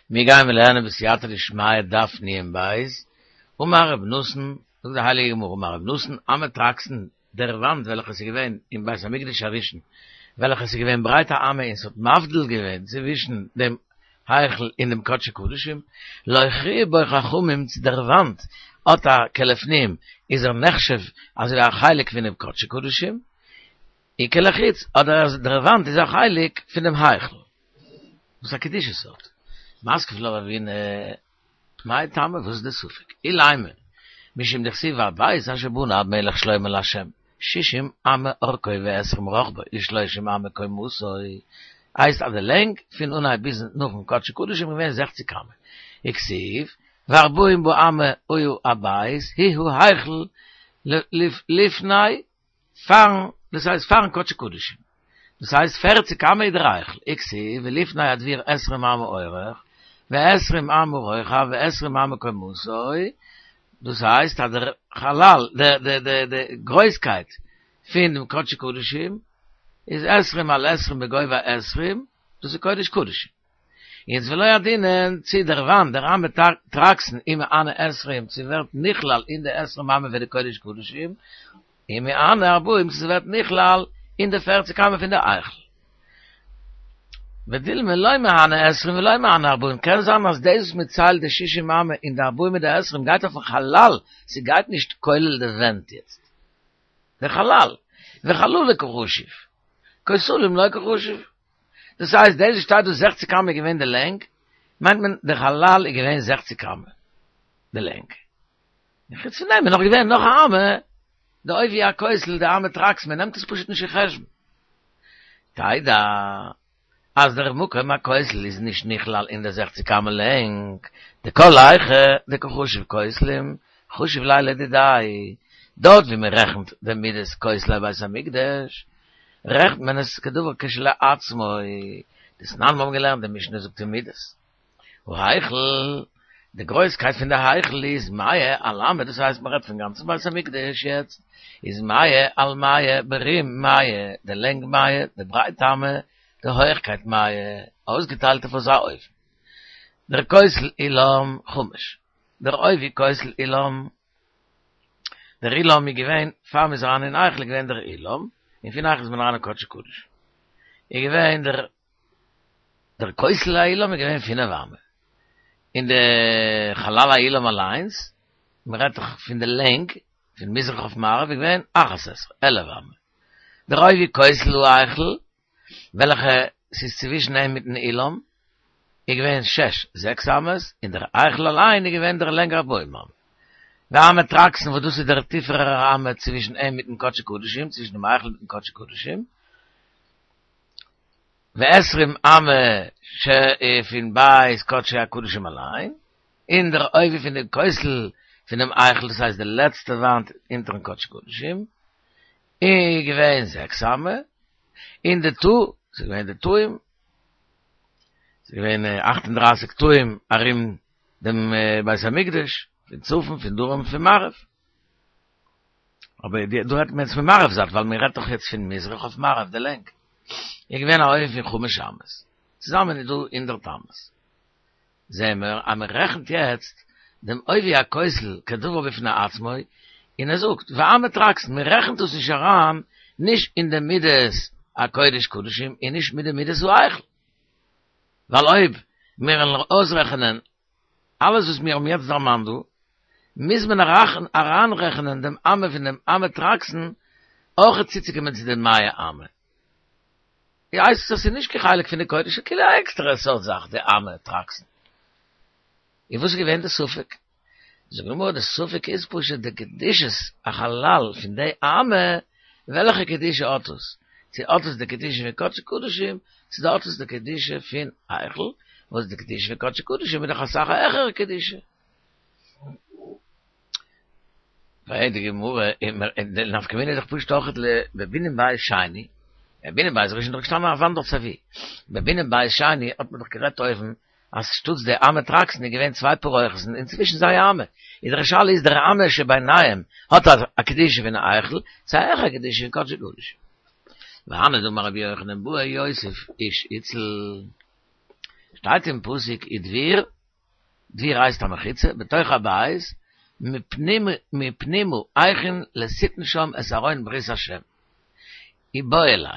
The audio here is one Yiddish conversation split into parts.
מיר גייען לערנען בסייעתא דשמיא דף נ בית, אמר רב נתן, זאגט די הייליגע גמרא, אמר רב נתן, אמה טרקסין, דער וואנט וועלכע איז געווען אין בית המקדש הראשון, וועלכע איז געווען ברייט א אמה און ס'האט מבדיל געווען צווישן דעם היכל און דעם קדשי קדשים, לא הכריעו בו חכמים צו דער וואנט האט א כלפנים איז ער נחשב אזוי ווי א חלק פונעם קדשי קדשים, און כלחוץ אדער אז דער וואנט איז א חלק פון דעם היכל. וואס א קדושה ס'האט. מתקיף לה רבינא, מאי טעמא וואס איז די ספק? אילימא, משום דכתיב והבית אשר בנה המלך שלמה לה', שישים אמה אורכו ועשרים רחבו ושלושים אמה קומתו, הייסט אז די לענג פון אנהייב ביז נאכן קדשי קדשים איז געווען זעכציק אמה, וכתיב וארבעים באמה היה הבית הוא ההיכל לפני פארן, דאס הייסט פארן קדשי קדשים, דאס הייסט פערציג אמה איז דער היכל, וכתיב ולפני הדביר עשרים אמה אורך, ועשרים אמה רוחב ועשרים אמה קומתו, דאס הייסט אז דער חלל, די די די גרויסקייט פון דעם קדשי קדשים איז עשרים על עשרים בגובה עשרים, דאס איז קודש קדשים. יעצט ולא ידעינן צי דער וואנט דער אמה טרקסין אם מהני עשרים צו ווערט נכלל אין די עשרים אמה פון די קודש קדשים אם מהני ארבעים צו ס'ווערט נכלל אין די פערציג אמה פון די היכל. ודילמא לא מהני עשרים ולא מהני ארבעים קען זיין אז דאס וואס מ'ציילט די שישים אמה און די ארבעים מיט די עשרים גייט אויפן חלל ס'גייט נישט כולל די ווענט יעצט די חלל וחללא קא חשיב כותלים לא קא חשיב. דאס הייסט דאס וואס שטייט דא זעכציק אמה איז געווען די לענג, מיינט מען די חלל איז געווען זעכציק אמה די לענג. און חוץ פון דעם איז נאך געווען נאך א אמה, די עובי הכותל די אמה טרקסין, מען נעמט עס פשוט נישט אין חשבון. תדע אז דער מקום הכותל איז נישט נכלל אין די זעכציק אמה לענג, דכל היכא דקא חשיב כותלים חשיב ליה לדידיה, דארט ווי מען רעכנט די מידות כותלי בית המקדש, רעכנט מען עס כדבר כשלעצמו, דתנן מיר האבן געלערנט די משנה זאגט אין מידות, ההיכל, די גרויסקייט פון די היכל איז מאה על אמה, דאס הייסט מען רעדט פון גאנצן בית המקדש יעצט, איז מאה על מאה ברום מאה, די לענג מאה, די ברייט אמה, די הויכקייט מאה, אויסגעטיילט אויף אזא אופן. דער כותל אולם חמש, דער עובי כותל אולם דער אולם איז געווען, פאר מ'איז אריין אין היכל איז געווען דער אולם, און פון היכל איז מען אריין אין קדשי קדשים. איז געווען דער דער כותל האולם איז געווען פינף אמה. און די חלל האולם אליינס, מ'רעדט דאך פון די לענג, פון מזרח אויף מערב, איז געווען אחת עשרה, עלף אמה. דער עובי כותל ההיכל וועלכע ס'איז צווישן אים מיטן אולם, איז געווען שש, זעקס אמות, און דער היכל אליין איז געווען דער לענג ארבעים אמה. ואמה טרקסין וואס דאס איז דער טיפערער אמה צווישן אים מיטן קדשי קדשים, צווישן דעם היכל מיטן קדשי קדשים, ועשרים אמה ש פון בית קדשי הקדשים אליין, און דער עובי פון דעם כותל פונעם היכל, דאס הייסט די לעצטע וואנט אונטערן קדשי קדשים, איז געווען זעקס אמה, און די תא, ס'איז געווען די תאים, ס'איז געווען אכט און דרייסיג תאים ארום דעם בית המקדש, פון צפון, פון דרום, פון מערב. אבער דא רעדט מען יעצט פון מערב זייט, ווייל מען רעדט דאך יעצט פון מזרח אויף מערב, די לענג. איז געווען א עובי פון חמש אמות. צוזאמען איז דא הונדערט אמות. זעהן מיר אז מען רעכנט יעצט דעם עובי הכותל כדבר בפני עצמו, און ער זאגט ואמה טרקסין, מען רעכנט דאס נישט אריין נישט אין די מידות הקודש קדשים און נישט מיט די מידות ההיכל, ווייל אויב מיר וועלן אויסרעכענען אלעס וואס מיר האבן יעצט דערמאנט דא, מוז מען אריינרעכענען דעם אמה פון דעם אמה טרקסין אויך צוצוקומען צו די מאה אמה. הייסט עס אז ס'איז נישט קיין חלק פון די קודש, ס'איז כאילו א עקסטערע סארט זאך די אמה טרקסין. און וואס איז געווען די ספק? זאגט די גמרא די ספק איז פשוט די קדושת החלל פון די אמה, וועלכע קדושה האט עס? צו האט עס די קדושה פון קדשי קדשים, צו האט עס די קדושה פון היכל, וואס די קדושה פון קדשי קדשים איז דאך אסאך א העכערע קדושה. פרעגט די גמרא, די נפקא מינה איז דאך פשוט אויך לבנין בית שני, בבנין בית ראשון איז דאך געשטאנען א וואנט דארט סייווי, בבנין בית שני האט מען דאך גערעדט אויבן אז שטאטס די אמה טרקסין איז געווען צוויי פרוכת'ן און צווישן זיי א אמה, איז דער שאלה איז דער אמה שביניהם האט א קדושה פון א היכל, צו א העכערע קדושה פון קדשי קדשים. והני דאמר רבי יוחנן בעי יוסף איש הציל. שטייט אין פסוק ודביר, דביר הייסט א מחיצה, בתוך הבית, מפנימה הכין לתתן שם את ארון ברית השם. איבעיא להו,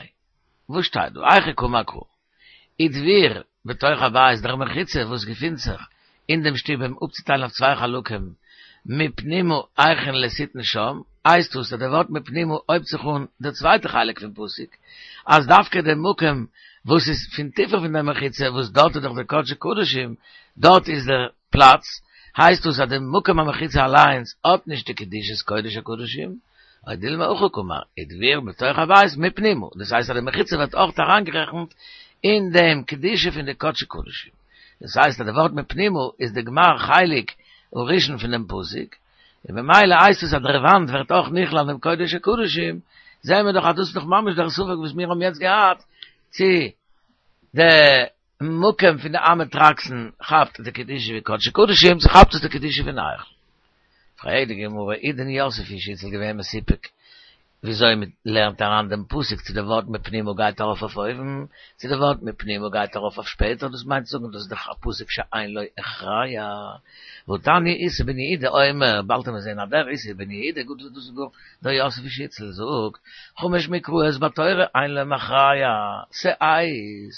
וואס שטייט דא? היכי קאמר קרא. ודביר בתוך הבית דער מחיצה וואס געפינט זיך אין דעם שטוב אים אפצוטיילן אויף צוויי חלקים, מפנימה הכין לתתן שם, הייסט דאס אז דער ווארט מפנימה הויבט זיך אן דער צווייטער חלק פון פסוק, אז דווקא דער מקום וואס איז פון טיפער פון דער מחיצה וואס דארט איז דאך דער קדשי קדשים, דארט איז דער פלאץ, הייסט דאס אז דער מקום המחיצה אליינס האט נישט די קדושת קודש הקדשים, או דילמא הכי קאמר, ודביר בתוך הבית מפנימה, דאס הייסט אז די מחיצה ווערט אויך אריינגערעכנט אין דעם קדושה פון די קדשי קדשים. דאס הייסט אז די ווארט מפנימה איז די גמר חלק הראשון פון דעם פסוק, און במילא הייסט עס אז דער וואנט ווערט אויך נכלל אין דעם קודש הקדשים, זעען מיר דאך אז דאס איז דאך ממש דער ספק וואס מיר האבן יעצט געהאט, צו די מקום פון די אמה טרקסין כאפט די קדושה ווי קדשי קדשים, צו כאפט עס די קדושה פון היכל. פרעגט די גמרא, איז דען יוסף איש אצל געווען מסופק וויאזוי מען לערנט אריין דעם פסוק צו די ווארט מפנימה גייט ארויף אויף אויבן, צו די ווארט מפנימה גייט ארויף אויף שפעטער, דאס מיינט צו זאגן דאס איז דאך א פסוק שאין לו הכרע, והתניא איסי בן יהודה אומר, באלד וועט מען זען אז דער איסי בן יהודה גוט דאס איז גאר דער יוסף איש אצל זאגט, חמש מקראות בתורה אין להם הכרע, שאת,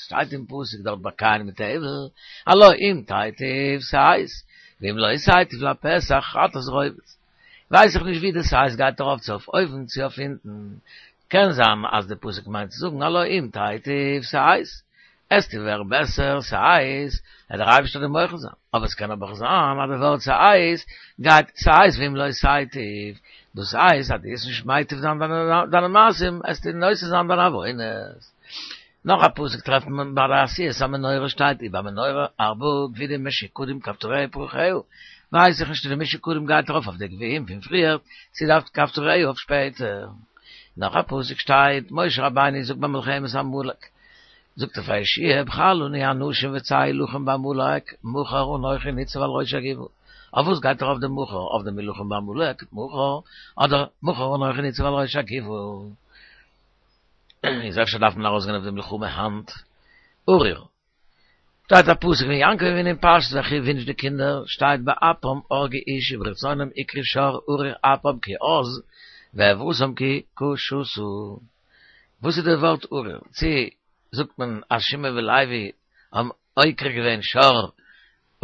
שטייט אין פסוק דארט ביי קין מיט הבל, הלא אם תיטיב שאת, ואם לא תיטיב לפסח חטאת רובץ. ווייס איך נישט ווי די שאת גייט ארויף צו אויף אויבן צו אויף אונטן. קען זיין אז די פסוק מיינט צו זאגן הלא אם תיטיב שאת, עסטו ווערן בעסער שאת, וועט דער אייבערשטער דיר מוחל זיין. אבער עס קען אבער זיין אז די ווארט שאת גייט שאת ואם לא תיטיב, דאס הייסט אז דו וועסט נישט מיטיב זיין דיינע מעשים, עסטו נושא זיין דיינע עוונות. נאך א פסוק טרעפט מען ביי די עשיית המנורה שטייט ובמנורה ארבעה גווידים משוקדים כפתוריה ופרחיה, ווייס איך נישט צו די משוקדים גייט ארויף אויף די גביעים פון פריער צו די כפתוריה אויף שפעטער. נאך א פסוק שטייט משה רבינו זאגט ביי מלחמת עמלק זאגט ער פאר יהושע בחר לנו אנשים וצא הלחם בעמלק מחר אנכי ניצב על ראש הגבעה אויף וואס גייט ארויף די מחר אויף דעם הלחם בעמלק מחר אדער מחר אנכי ניצב על ראש הגבעה? איז אפשר דארף מען ארויסגיין אויף די מלחמה היינט? ארור. שטייט א פסוק ווען יעקב אבינו אין פרשת ויחי ווינטשט די קינדער, שטייט באפם הרגו איש וברצונם עקרו שור ארור אפם כי עז ועברתם כי קשתה. וואס איז די ווארט ארור? צו זאגט מען אז שמעון ולוי האבן עוקר געווען שור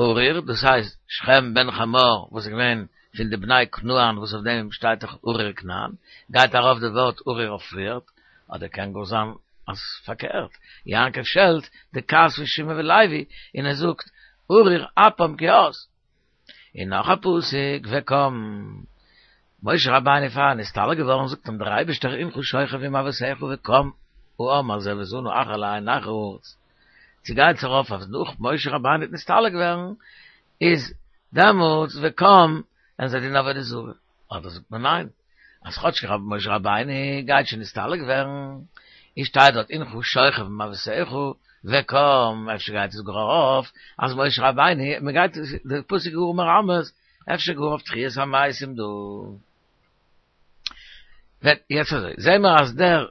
ארור, דאס הייסט שכם בן חמור וואס איז געווען פון די בני כנען וואס אויף דעם שטייט דאך ארור כנען, גייט ארויף די ווארט ארור אויף פריערט, אדער קען גאר זיין אז פארקערט, יעקב שעלט די כעס פון שמעון ולוי און ער זאגט ארור אפם כי עז. און נאך א פסוק וקם משה רבינו פאר ער נסתלק געווארן זאגט אים דער אייבערשטער הנך שוכב עם אבותיך וקם העם הזה וזנה אחרי אלהי נכרי הארץ. צו גייט עס ארויף אז נאך משה רבינו וועט נסתלק ווערן איז דעמאלטס וקם וועלן זיי דינען עבודה זרה, אדער זאגט מען ניין אז כאטש משה רבינו גייט שוין נסתלק ווערן איז שטייט דארט הנך שוכב עם אבותיך וקם אפשר גייט עס גאר ארויף אז משה רבינו מען גייט די פסוק גאר מרמז אפשר גאר אויף תחיית המתים דא. ווען יעצט אזוי, זעהן מיר אז דער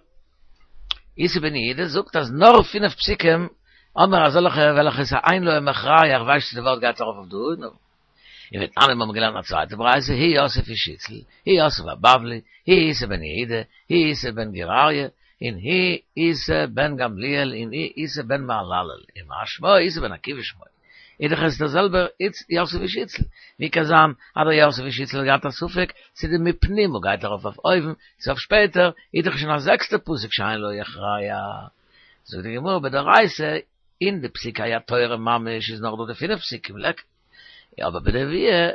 איסי בן יהודה זאגט אז נאר פינף פסוקים האבן מיר אזעלכע וועלכע איז אין להם הכרע, איך ווייס נישט צו די ווארט גייט ארויף אויף דא, נו. און ותניא מיר האבן געלערנט א צווייטע ברייתא, הוא יוסף איש אצל, הוא יוסף הבבלי, הוא איסי בן יהודה, הוא איסי בן גור אריה, און הוא איסי בן גמליאל, און הוא איסי בן מהללאל, ומה שמו איסי בן עקיבא שמו. איז דאך עס דער זעלבער יוסף איש אצל, ווי קען זיין אז דער יוסף איש אצל האט געהאט א ספק צו די מפנימה גייט ארויף אויף אויבן צו אויף שפעטער, איז דאך שוין א זעקסטע פסוק שאין לו הכרע. זאגט די גמרא בדאורייתא, אין די פסוקי התורה ממש איז נאך דא די פינף פסוקים ליכא, אבער בנביאה,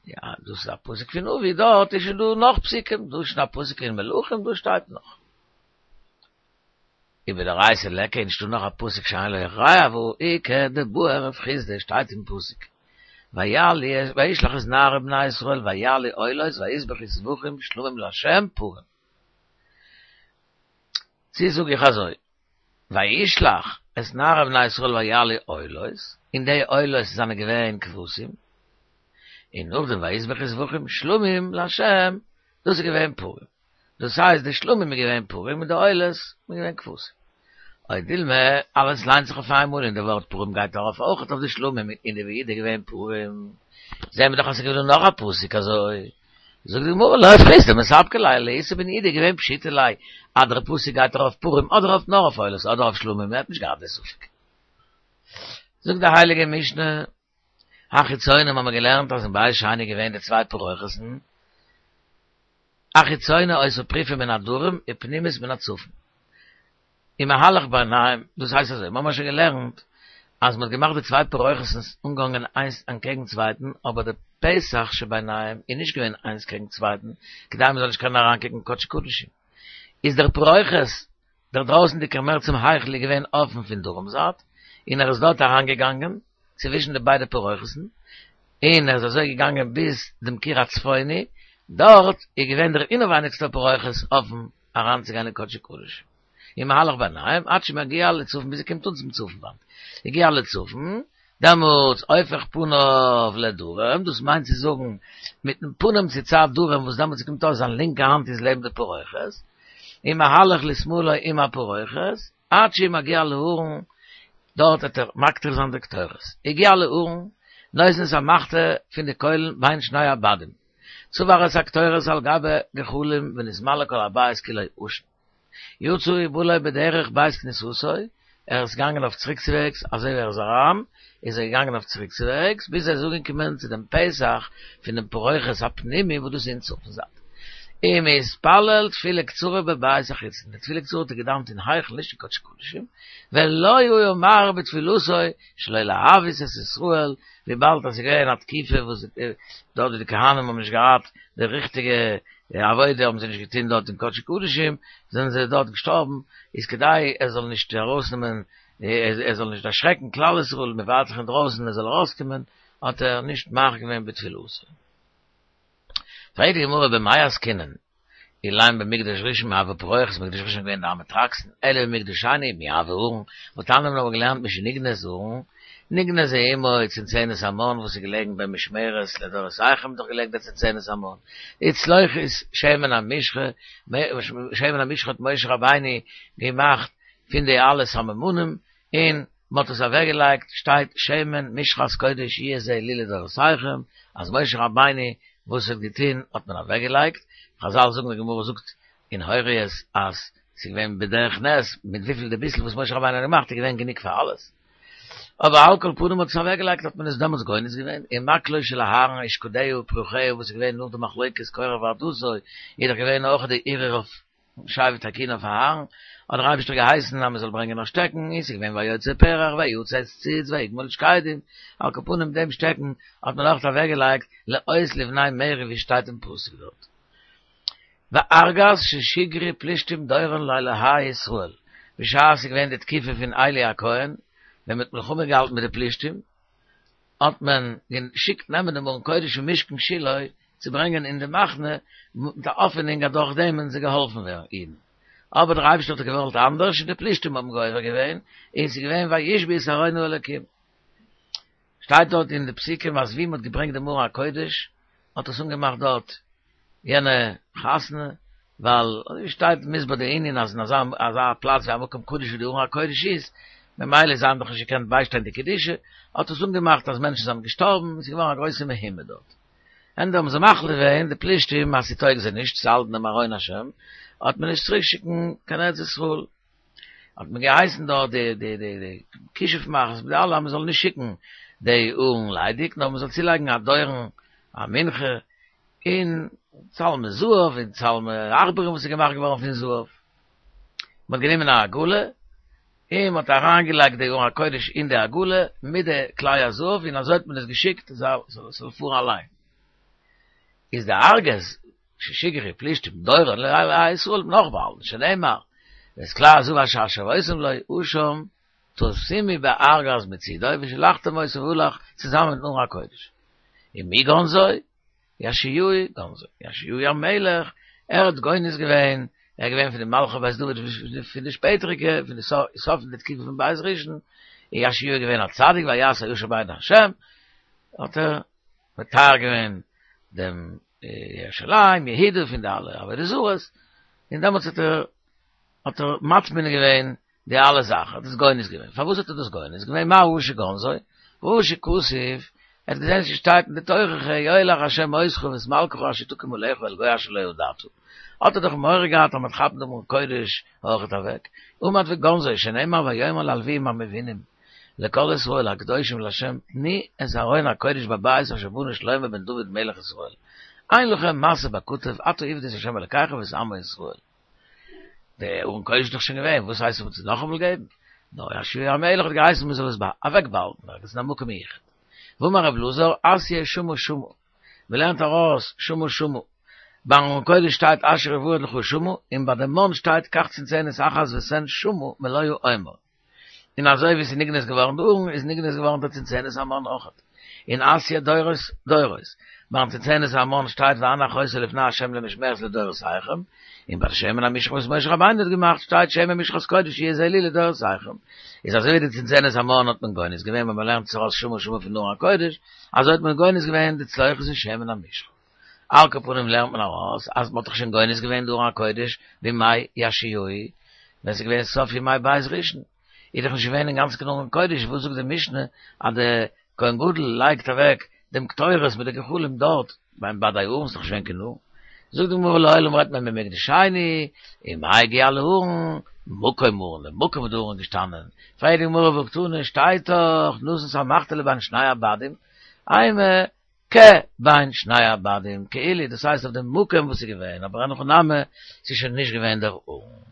יא דאס איז א פסוק פון נביא, דארט איז שוין דא נאך פסוקים, דא איז שוין א פסוק אין מלכים, דא שטייט נאך. ובדאורייתא ליכא איז נישטא נאך א פסוק שאין לו הכרע והא איכא דבעי רב חסדא שטייט אין פסוק ויעלו וישלח את נערי בני ישראל ויעלו עולות ויזבחו זבחים שלמים לה' פרים צו זאג איך אזוי וישלח את נערי בני ישראל ויעלו עולות און די עולות זענען געווען כבשים און נאכדעם ויזבחו זבחים שלמים לה' דאס איז געווען פרים. דאס הייסט די שלמים איז געווען פרים און די עולות איז געווען כבשים. או דילמא, אלעס ליינט זיך אויף איינמאל און די ווארט פרים גייט ארויף אויכעט אויף די שלמים און די ויהי איז געווען פרים. זעהן מיר דאך אז ס'איז געווען נאך א פסוק אזוי. זאגט די גמרא לא פריסט דמספקא ליה לאיסור בן יהודה איז געווען פשיטא ליה אז דער פסוק גייט ארויף פרים אדער אויף נאר אויף עולות אדער אויף שלמים ער האט נישט געהאט די ספק. זאגט די הייליגע משנה החיצונים האבן מיר געלערנט אז אין בית שני איז געווען די צוויי פרוכת'ן החיצונה היתה פרופה מן הדרום ופנימית מן הצפון. ומהלך ביניהם, דאס הייסט אזוי, מ'האמער שוין געלערנט אז מ'האט געמאכט די צוויי פרוכת'ן אנגעהאנגען איינס אנטקעגן צווייטן, אבער די פתח שביניהם איז נישט געווען איינס קעגן צווייטן, כדי מ'זאל נישט קענען אריינקוקן אין קדשי קדשים. איז דער פרוכת, דער דרויסנדיגער מער צום היכל איז געווען אפן פון דרום זייט, און ער איז דארט אריינגעגאנגען צווישן די ביידע פרוכת'ן, און ער איז אזוי געגאנגען ביז דעם קיר הצפוני, דארט איז געווען דער אינעווייניגסטער פרוכת אפן אריינצוגיין אין קדשי קדשים. ומהלך ביניהם עד שמגיע לצפון ביז ער קומט אן צום צפון וואנט. הגיע לצפון, דעמאלטס הופך פניו לדרום, דאס מיינט צו זאגן מיטן פנים צו צד דרום וואס דעמאלטס קומט אויס זיין לינקע האנט איז לעבן די פרוכת, ומהלך לשמאלו עם הפרוכת, עד שמגיע לארון, דארט וועט ער מקטיר זיין די קטורת. הגיע לארון, נותן את המחתה פון די קוילן בין שני הבדים. צבר את הקטורת על גבי גחלים ונתמלא כל הבית כולו עשן. יצא ובא לו בדרך בית כניסתו, ער איז געגאנגען אויף צוריקצוועגס, אזוי ווי ער איז אריין, איז ער געגאנגען אויף צוריקצוועגס, ביז ער איז אנגעקומען צו דעם פתח פון דעם פרוכת הפנימי וואס דאס איז אין צפון זייט. ומתפלל תפילה קצרה בבית החיצון, די תפילה קצרה האט ער געדאווענט אין היכל נישט אין קדשי קדשים, ולא היה מאריך בתפילתו שלא להביס את ישראל, וויבאלד אז ס'איז געווען א תקופה וואס דארט ווי די כהנים האבן נישט געהאט די ריכטיגע עבודה האבן זיי נישט געטון דארט אין קדשי קדשים, זענען זיי דארט געשטארבן, איז כדי ער זאל נישט ארויסנעמען, ער זאל נישט דערשרעקן כלל ישראל, מען ווארט זיך אינדרויסן ער זאל ארויסקומען, האט ער נישט מאריך געווען בתפילתו. פרעגט די גמרא במאי עסקינן, אלין במקדש ראשון מי הוה פרוכת, מקדש ראשון איז געווען די אמטרקסין, אלא במקדש שני מי הוה ארון, והתניא מיר האבן געלערנט משנגנז ארון, נגנזה עמו צנצנת המן וואס איז געלעגן במשמרת לדורותיכם איז דאך געלעגן די צנצנת המן, וצלוחית שמן המשחה, שמן המשחה האט משה רבינו געמאכט פון די אלע סממנים, און מען האט עס אוועק געלייגט, שטייט שמן משחת קודש יהיה זה לי לדורותיכם, אז משה רבינו וואס האט געטון האט מען אוועק געלייגט, חזל זאגן די גמרא זאגט אין הוריות אז ס'איז געווען בדרך נס, מיט וויפיל די ביסל וואס משה רבינו האט געמאכט איז געווען גענוג פאר אלעס. אבער על כל פנים האט עס אוועק געלייגט האט מען עס דעמאלטס גונז געווען, ומקלו של אהרן ושקדיה ופרחיה וואס איז געווען נאך די מחלוקת קורח ועדתו איז דאך געווען אויך די ערעור אויף שבט הכהונה אויף אהרן, האט דער אייבערשטער געהייסן אז מען זאל ברענגען א שטעקן, און ס'איז געווען ויוצא פרח ויצץ ציץ ויגמול שקדים, על כל פנים דעם שטעקן האט מען אויך אוועק געלייגט לאות לבני מררי ווי שטייט אין פסוק דארט. וארגז ששיגרו פלישתים דורון לאלהי ישראל, בשעת ס'איז געווען די תקופה פון עלי הכהן, ווען מ'האט מלחמה געהאלטן מיט די פלישתים, האט מען געשיקט נעמען דעם ארון קודש פון משכן שילה צו ברענגען אין די מחנה, מיט א האפענונג אז דורך דעם וועלן זיי געהאלפן ווערן אידן. אבער דער אייבערשטער האט געוואלט אנדערש און די פלישתים האבן גובר געווען, און ס'איז געווען וישבו את ארון האלוקים. שטייט דארט אין די פסוקים אז ווי מ'האט געברענגט דעם ארון הקודש האט עס אנגעמאכט דארט יענע חתונה, ווייל אזוי ווי שטייט מוסבר די ענין אז אין אזא אזא פלאץ ווי א מקום קדוש ווי די ארון הקודש איז, ממילא זיי האבן דאך נישט געקענט ביישטיין די קדושה, האט עס אנגעמאכט אז מענטשן זענען געשטארבן און ס'איז געווארן א גרויסע מהומה דארט. ענדע האבן זיי מחליט געווען די פלישתים אז ס'טויג זיי נישט צו האלטן דעם ארון השם, האט מען נישט צוריק שיקן קיין ארץ ישראל. האט מען געהייסן דארט די די די די כישוף מאכערס מיט די אלע אז מען זאל נישט שיקן די ארון ליידיג נאר מען זאל צולייגן א דורן א מנחה און צלמי זהב און צלמי עכברים וואס איז געמאכט געווארן פון זהב. מען האט גענומען א עגלה און מען האט אריינגעלייגט די ארון הקודש אין די עגלה מיט די כלי הזהב און אזוי האט מען עס געשיקט זאל פארן אליין. איז די ארגז ששיגרו פלישתים דורון לאלהי ישראל נאך באהאלטן שנאמר ואת כלי הזהב אשר השבותם לו אשם תשימו בארגז מצידו ושלחתם אותו והלך צוזאמען מיטן ארון הקודש. ומי גנזו? יאשיהו גנזו, יאשיהו המלך, ער האט גונז געווען, ער איז געווען פון די מלכי בית דוד פון די שפעטעריגע, פון די סוף פון די תקופה פון בית ראשון, און יאשיהו איז געווען א צדיק ויעש הישר בעיני השם, האט ער מטהר געווען דעם ירושלים, יהודה פון די אלע עבודה זרות, און דעמאלטס האט ער האט ער מטמין געווען. די אלע זאכן, האט עס גונז געווען. פארוואס האט ער דאס גונז געווען? מה ראה שגנזו? ראה שכתוב, ער האט געזען ס'שטייט אין די תוכחה, יולך השם אותך ואת מלכך אשר תקים עליך אל גוי אשר לא ידעת. האט ער דאך מורא געהאט אז מ'וועט כאפן דעם ארון קודש אויכעט אוועק. עמד וגנזו, שנאמר ויאמר ללוויים המבינים, לכל ישראל הקדושים לה' תנו את ארון הקודש בבית אשר בנה שלמה בן דוד מלך ישראל. אין לכם משא בכתף עתה עבדו את ה' אלקיכם ואת עמו ישראל. דער ארון קודש איז דאך שוין געווען, וואס הייסט מ'זאל עס נאכאמאל געבן? נאר יאשיהו המלך האט געהייסן מ'זאל עס אוועקבאהאלטן ערגעץ אין א מקום מיוחד. ואמר רב אלעזר, אתיא שמה שמה. מ'לערנט ארויס שמה שמה. ביים ארון קודש שטייט אשר יורד לך שמה, און ביי דעם מן שטייט קח צנצנת אחת ותן שמה מלא העומר. און אזוי ווי ס'איז נגנז געווארן די ארון, איז נגנז געווארן די צנצנת המן אויכעט. און אתיא דורות דורות. ביים צנצנת המן שטייט והנח אותה לפני ה' למשמרת לדורותיכם, און ביי די שמן המשחה וואס משה רבינו האט געמאכט שטייט שמן משחת קודש יהיה זה לי לדורותיכם. איז אזוי ווי די צנצנת המן האט מען גונז געווען ווען מ'לערנט עס ארויס שמה שמה פון ארון הקודש, אזוי האט מען גונז געווען די צלוחית און שמן המשחה. על כל פנים לערנט מען ארויס אז מ'האט דאך שוין גונז געווען די ארון הקודש בימי יאשיהו, ווען ס'איז געווען סוף ימי בית ראשון, איז דאך נישט געווען אינגאנצן קיין ארון קודש, וואס זאגט די משנה אז די כהן גדול לייגט אוועק דעם קטורת מיט די גחלים דארט ביים בדי הארון, ס'איז דאך נישט געווען קיין ארון. זאגט די גמרא לעולם רעדט מען במקדש שני, ומאי הגיע לארון, מקום ארון, די מקום וואו די ארון איז געשטאנען, פרעגט די גמרא והא קתני שטייט דאך נתן את המחתה לבין שני הבדים, אימא כבין שני הבדים, כאילו דאס הייסט אויף דעם מקום וואס איז געווען, אבער אין הכי נמי, ס'איז שוין נישט געווען דער ארון.